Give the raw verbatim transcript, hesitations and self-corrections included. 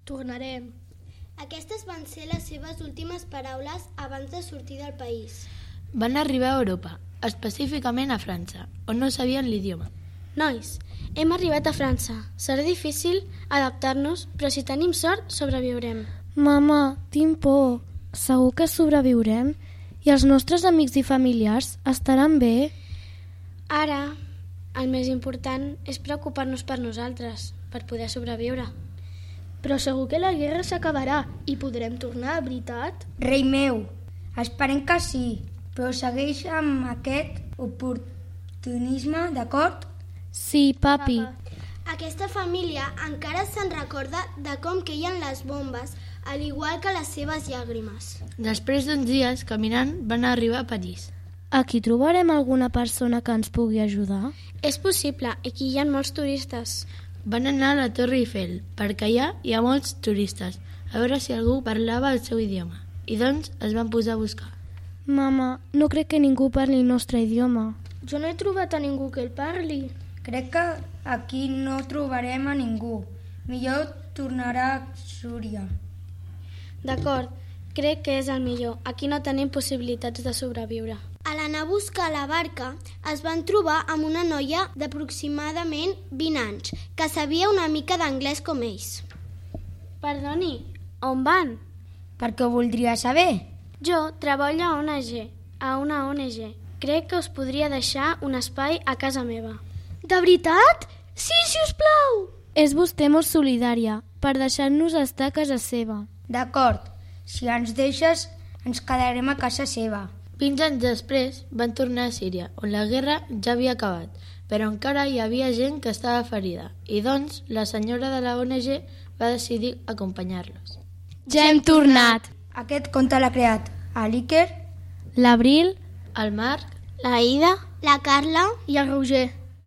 Tornarem. Aquestes van ser les seves últimes paraules abans de sortir del país. Van arribar a Europa, específicament a França, on no sabien l'idioma. Nois, hem arribat a França. Serà difícil adaptar-nos, però si tenim sort, sobreviurem. Mama, tinc por. Segur que sobreviurem? I els nostres amics i familiars estaran bé? Ara, el més important és preocupar-nos per nosaltres, per poder sobreviure. Però segur que la guerra s'acabarà i podrem tornar, veritat? Rei meu, esperem que sí, però segueix amb aquest oportunisme, d'acord? Sí, papi. Papa. Aquesta família encara se'n recorda de com queien les bombes, al igual que les seves llàgrimes. Després d'uns dies, caminant, van arribar a París. Aquí trobarem alguna persona que ens pugui ajudar? És possible, aquí hi ha molts turistes. Van anar a la Torre Eiffel, perquè allà hi ha molts turistes, a veure si algú parlava el seu idioma. I doncs es van posar a buscar. Mama, no crec que ningú parli el nostre idioma. Jo no he trobat a ningú que el parli. Crec que aquí no trobarem a ningú. Millor tornar a Súria. D'acord, crec que és el millor. Aquí no tenim possibilitats de sobreviure. A l'anar a buscar la barca es van trobar amb una noia d'aproximadament vint anys, que sabia una mica d'anglès com ells. Perdoni, on van? Per què ho voldria saber? Jo treballo a O N G, a una O N G. Crec que us podria deixar un espai a casa meva. De veritat? Sí, si us plau! És vostè molt solidària per deixar-nos estar a casa seva. D'acord, si ens deixes ens quedarem a casa seva. Vint anys després van tornar a Síria, on la guerra ja havia acabat, però encara hi havia gent que estava ferida, i doncs la senyora de la O N G va decidir acompanyar-los. Ja hem tornat! Aquest conte l'ha creat l'Iker, l'Abril, El Marc, la Ida, la Carla i el Roger.